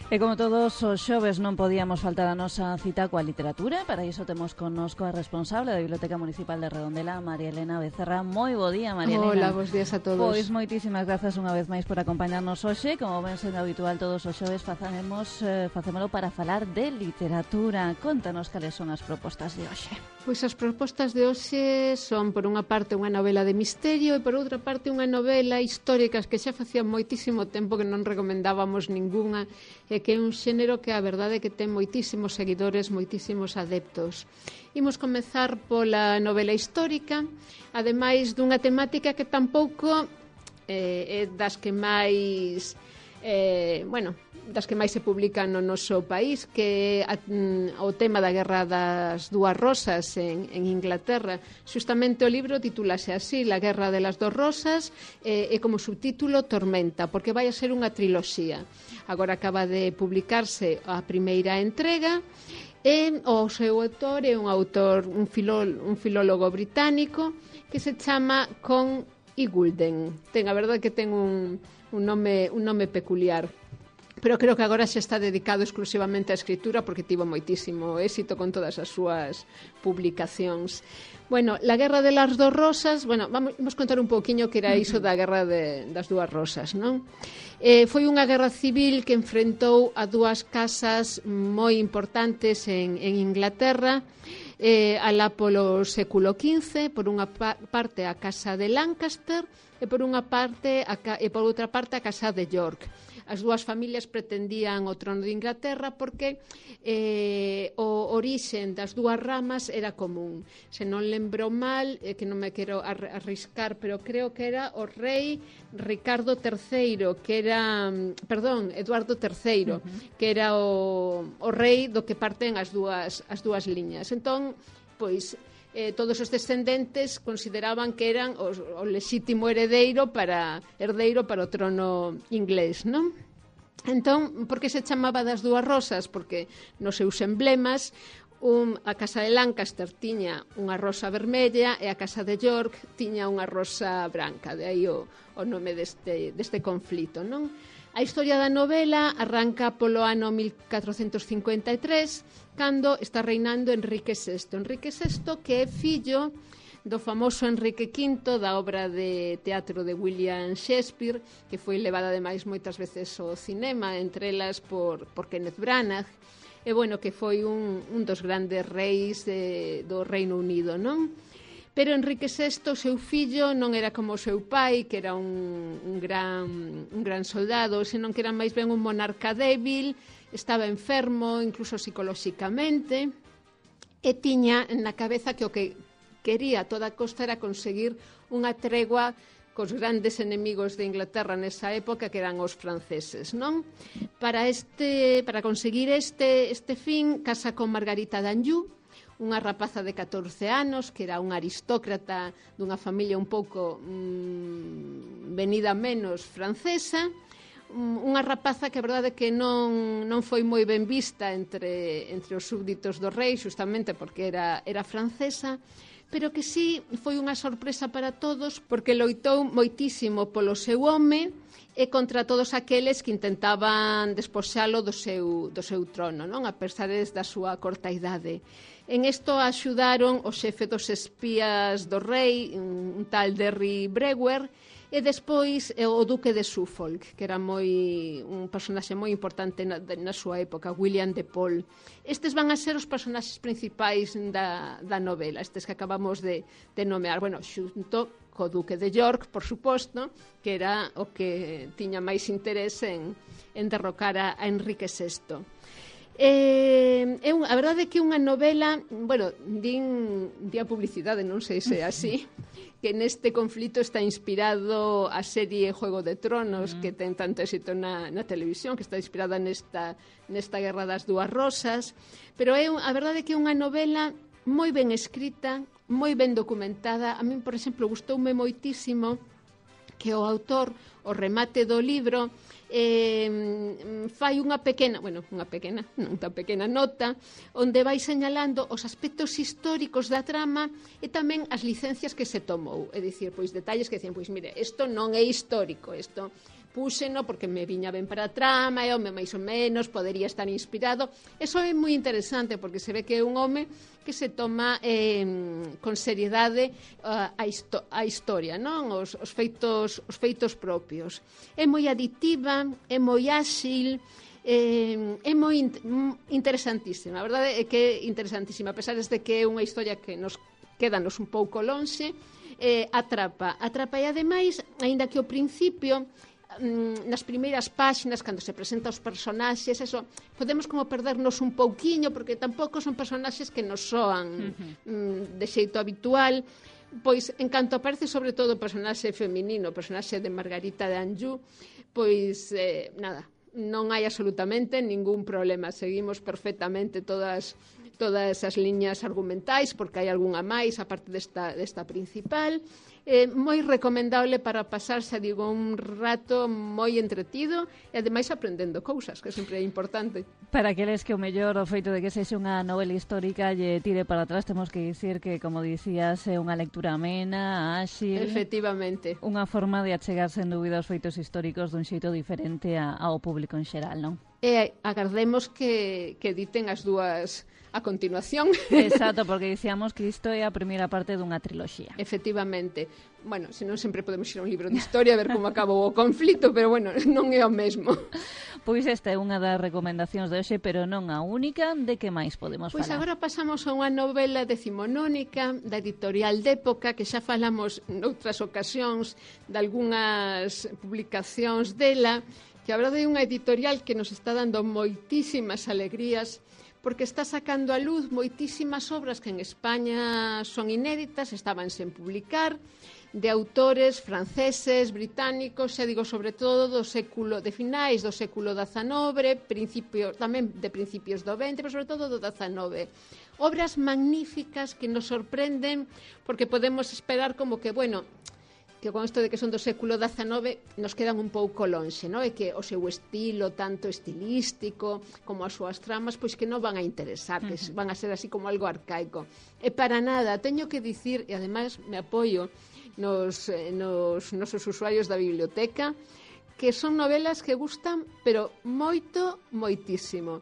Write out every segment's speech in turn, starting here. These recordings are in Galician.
E como todos os xoves non podíamos faltar a nosa cita coa literatura. Para iso temos connosco a responsable da Biblioteca Municipal de Redondela, María Elena Becerra. Moi bo día, María Elena. Hola, bos días a todos. Pois moitísimas grazas unha vez máis por acompañarnos hoxe. Como ven sendo habitual todos os xoves facémolo para falar de literatura. Contanos cales son as propostas de hoxe. Pois as propostas de hoxe son, por unha parte, unha novela de misterio e, por outra parte, unha novela histórica que xa facía moitísimo tempo que non recomendábamos ningunha, e que é un xénero que a verdade é que ten moitísimos seguidores, moitísimos adeptos. Imos comezar pola novela histórica, ademais dunha temática que tampouco é das que máis das que máis se publican no noso país, que é o tema da Guerra das Dúas Rosas en Inglaterra. Xustamente o libro titúlase así, La Guerra de las Dos Rosas, e como subtítulo Tormenta, porque vai a ser unha triloxía. Agora acaba de publicarse a primeira entrega, e o seu autor é un filólogo británico que se chama Con Iggulden. A verdade que ten un nome peculiar, pero creo que agora xa está dedicado exclusivamente á escritura porque tivo moitísimo éxito con todas as súas publicacións. Bueno, la Guerra de las Dos Rosas, vamos contar un pouquiño que era iso da Guerra das Dúas Rosas, non? Foi unha guerra civil que enfrentou a dúas casas moi importantes en Inglaterra, alá polo século XV, por unha parte a Casa de Lancaster e por outra parte a Casa de York. As dúas familias pretendían o trono de Inglaterra porque o orixen das dúas ramas era común. Se non lembro mal, que non me quero arriscar, pero creo que era o rei Ricardo III, que era, Eduardo III, que era o rei do que parten as dúas liñas. Entón, pois, todos os descendentes consideraban que eran o lexítimo herdeiro para o trono inglés, non? Entón, por que se chamaba das Dúas Rosas? Porque nos seus emblemas a Casa de Lancaster tiña unha rosa vermella e a Casa de York tiña unha rosa branca, de aí o nome deste conflito, non? A historia da novela arranca polo ano 1453, cando está reinando Enrique VI. Enrique VI, que é fillo do famoso Enrique V, da obra de teatro de William Shakespeare, que foi levada ademais moitas veces ao cinema, entre elas por Kenneth Branagh, e que foi un dos grandes reis do Reino Unido, non? Pero Enrique VI, seu fillo, non era como o seu pai, que era un gran soldado, senón que era máis ben un monarca débil, estaba enfermo, incluso psicolóxicamente, e tiña na cabeza que o que quería a toda costa era conseguir unha tregua cos grandes enemigos de Inglaterra nesa época, que eran os franceses, non? Para conseguir este fin, casa con Margarita d'Anjou, unha rapaza de 14 anos, que era unha aristócrata dunha familia un pouco venida menos francesa, unha rapaza que a verdade que non foi moi ben vista entre os súbditos do rei, justamente porque era francesa, pero que sí foi unha sorpresa para todos porque loitou moitísimo polo seu home e contra todos aqueles que intentaban despoxalo do seu trono, non? A pesar da súa corta idade. En isto axudaron o xefe dos espías do rei, un tal Derry Brewer, e despois o duque de Suffolk, que era un personaxe moi importante na súa época, William de Paul. Estes van a ser os personaxes principais da novela, estes que acabamos de nomear, xunto co duque de York, por suposto, que era o que tiña máis interés en derrocar a Enrique VI. A verdade é que é unha novela, din a publicidade, non sei se é así, que neste conflito está inspirado a serie Juego de Tronos, que ten tanto éxito na televisión, que está inspirada nesta Guerra das Dúas Rosas, pero a verdade é que é unha novela moi ben escrita, moi ben documentada. A mí, por exemplo, gustoume moitísimo que o autor, o remate do libro, fai unha pequena non tan pequena nota onde vai señalando os aspectos históricos da trama e tamén as licencias que se tomou, é dicir, pois detalles que dicen, pois mire, isto non é histórico, isto púxeno porque me viña ben para a trama, e home, máis ou menos, podería estar inspirado. Eso é moi interesante, porque se ve que é un home que se toma con seriedade a historia, non? Os feitos propios. É moi aditiva, é moi áxil, é moi interesantísima. A verdade é que é interesantísima, a pesar de que é unha historia que nos quédanos un pouco lonxe, atrapa. E ademais, aínda que ao principio, nas primeiras páxinas, cando se presenta os personaxes, eso, podemos como perdernos un pouquiño, porque tampouco son personaxes que nos soan de xeito habitual, pois, en canto aparece sobre todo o personaxe feminino, o personaxe de Margarita de Anjou, pois, nada, non hai absolutamente ningún problema, seguimos perfectamente todas as liñas argumentais, porque hai algunha máis, aparte desta principal. Moi recomendable para pasarse, digo, un rato moi entretido e ademais aprendendo cousas, que sempre é importante. Para aqueles que o mellor o feito de que sexa unha novela histórica lle tire para atrás, temos que dicir que, como dicías, é unha lectura amena, áxil. Efectivamente. Unha forma de achegar sen dúbida os feitos históricos dun xeito diferente ao público en xeral, non? E agardemos que editen as dúas a continuación. Exacto, porque dicíamos que isto é a primeira parte dunha triloxía. Efectivamente. Bueno, senón sempre podemos ir a un libro de historia a ver como acabou o conflito, pero bueno, non é o mesmo. Pois esta é unha das recomendacións de hoxe, pero non a única. De que máis podemos falar? Pois agora pasamos a unha novela decimonónica da editorial d'Época, que xa falamos noutras ocasións de algunhas publicacións dela, que a verdade é unha editorial que nos está dando moitísimas alegrías, porque está sacando a luz moitísimas obras que en España son inéditas, estaban sen publicar, de autores franceses, británicos, xa digo, sobre todo de finais do século XIX, tamén de principios do XX, pero sobre todo do XIX. Obras magníficas que nos sorprenden, porque podemos esperar como que, bueno, que con isto de que son do século XIX nos quedan un pouco lonxe, non? E que o seu estilo, tanto estilístico como as súas tramas, pois que non van a interesar, que van a ser así como algo arcaico. E para nada, teño que dicir, e ademais me apoio nos nosos usuarios da biblioteca, que son novelas que gustan, pero moito, moitísimo.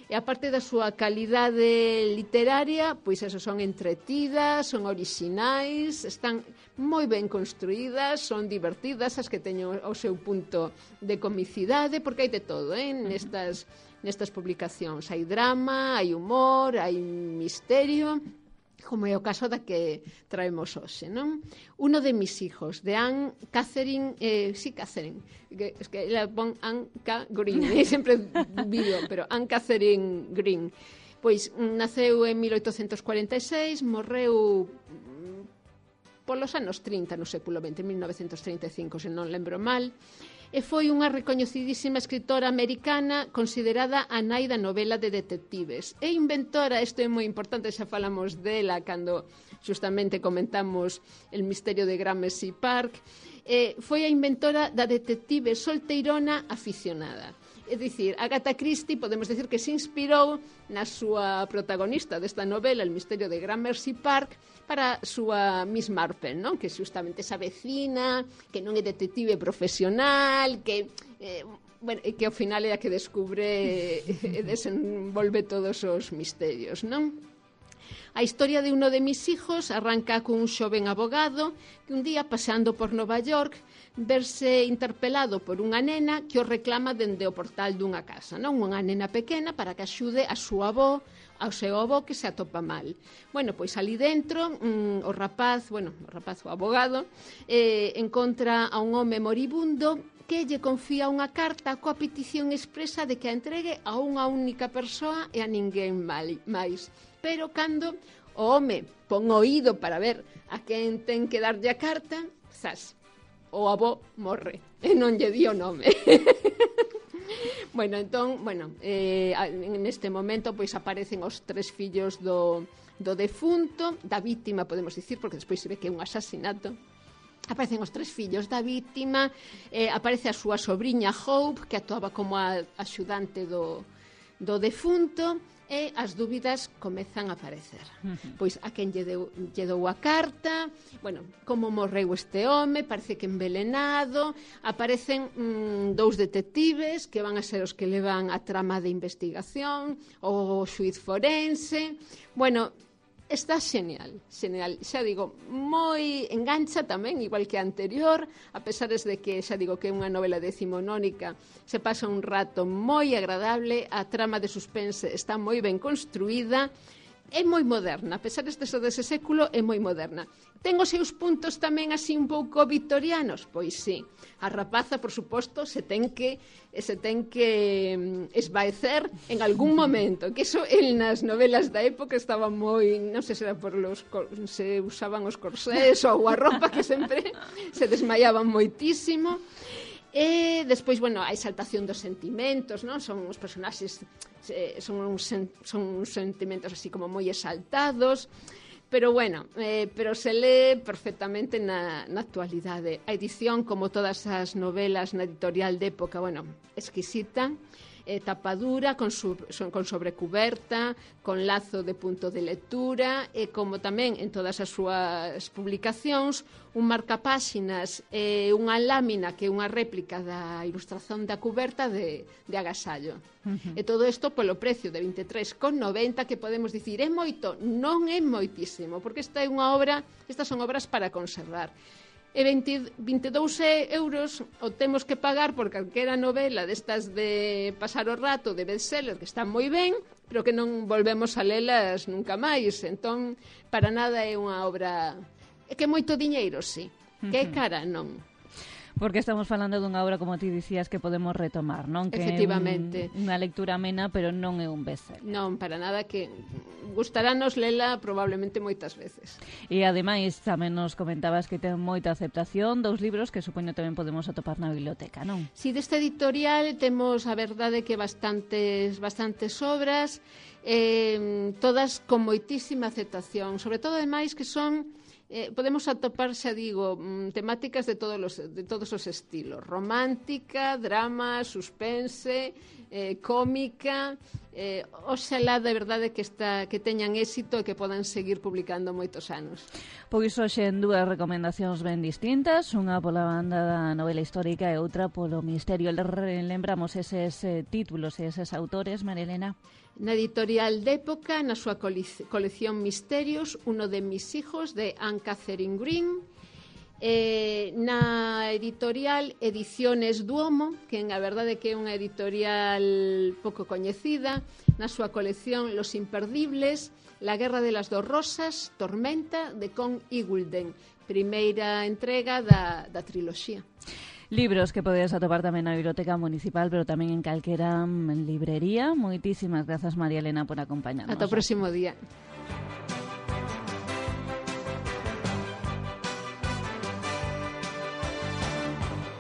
E aparte da súa calidade literaria, pois eso, son entretidas, son orixinais, están moi ben construídas, son divertidas, as que teñen o seu punto de comicidade, porque hai de todo, nestas publicacións. Hai drama, hai humor, hai misterio, como é o caso da que traemos hoxe, non? Uno de mis hijos, de Anne Catherine, Catherine, es que ela pon Anne K. Green, sempre vivo, pero Anne Catherine Green. Pois naceu en 1846, morreu polos anos 30 no século XX, 1935, se non lembro mal, e foi unha recoñecidísima escritora americana considerada a nai da novela de detectives. E inventora, isto é moi importante, xa falamos dela cando justamente comentamos El misterio de Gramercy Park, foi a inventora da detective solteirona aficionada. É dicir, Agatha Christie podemos decir que se inspirou na súa protagonista desta novela, El misterio de Gramercy Park, para a súa Miss Marple, non? Que justamente esa vecina, que non é detective profesional, que que ao final é a que descubre e desenvolve todos os misterios, non? A historia de uno de mis hijos arranca cun xoven abogado que un día, paseando por Nova York, verse interpelado por unha nena que o reclama dende o portal dunha casa, non? Unha nena pequena para que axude a súa avó, ao seu avó que se atopa mal. Bueno, pois ali dentro o abogado, encontra a un home moribundo que lle confía unha carta coa petición expresa de que a entregue a unha única persoa e a ninguén máis. Pero cando o home pon oído para ver a quen ten que darlle a carta, o avó morre e non lle di o nome. Neste momento pois aparecen os tres fillos do defunto, da vítima, podemos dicir, porque despois se ve que é un asasinato. Aparecen os tres fillos da vítima, aparece a súa sobriña Hope, que actuaba como a axudante do do defunto, e as dúbidas comezan a aparecer. Pois a quen lle dou a carta, bueno, como morreu este home, parece que envelenado, aparecen dous detectives que van a ser os que levan a trama de investigación, o xuiz forense, bueno, está xenial, xa digo, moi engancha tamén, igual que a anterior, a pesar de que, xa digo, que é unha novela decimonónica, se pasa un rato moi agradable, a trama de suspense está moi ben construída, é moi moderna, a pesar de ser dese século, é moi moderna. Ten os seus puntos tamén así un pouco victorianos? Pois sí. A rapaza, por suposto, se ten que esvaecer en algún momento, que iso nas novelas da época estaba moi, non sei se era por se usaban os corsés ou a roupa que sempre se desmaiaban moitísimo. E despois, bueno, a exaltación dos sentimentos, non? Son os personaxes, son uns sentimentos así como moi exaltados, pero bueno, pero se lee perfectamente na actualidade. A edición, como todas as novelas na editorial de época, bueno, exquisita, tapadura, con sobrecuberta, con lazo de punto de lectura, e como tamén en todas as súas publicacións, un marcapáxinas e unha lámina que é unha réplica da ilustración da cuberta de agasallo. E todo isto polo precio de 23,90, que podemos dicir, é moito? Non é moitísimo, porque estas son obras para conservar. E 22 euros o temos que pagar por calquera novela destas de pasar o rato, de bestseller, que están moi ben, pero que non volvemos a lelas nunca máis. Entón, para nada é unha obra... É que moito diñeiro, sí. Que é cara, non. Porque estamos falando dunha obra, como ti dicías, que podemos retomar, non? Que efectivamente. É unha lectura amena, pero non é un bestseller. Non, para nada, que gustarános lela probablemente moitas veces. E ademais tamén nos comentabas que ten moita aceptación, 2 libros que supoño tamén podemos atopar na biblioteca, non? Si, deste editorial temos a verdade que bastantes obras, todas con moitísima aceptación, sobre todo ademais que son... podemos atopar, xa digo, temáticas de todos os estilos: romántica, drama, suspense, cómica. Oxalá de verdade que teñan éxito e que podan seguir publicando moitos anos. Pois hoxe en 2 recomendacións ben distintas, unha pola banda da novela histórica e outra polo misterio. Lembramos eses títulos e eses autores, María Elena. Na editorial de época, na súa colección Misterios, uno de mis hijos, de Anne Catherine Green. Na editorial Ediciones Duomo, que a verdade que é unha editorial pouco coñecida, na súa colección Los Imperdibles, La Guerra de las Dos Rosas, Tormenta, de Con Igulden, primeira entrega da triloxía. Libros que podedes atopar tamén na Biblioteca Municipal, pero tamén en calquera librería. Moitísimas grazas, María Elena, por acompañarnos. Ata o próximo día.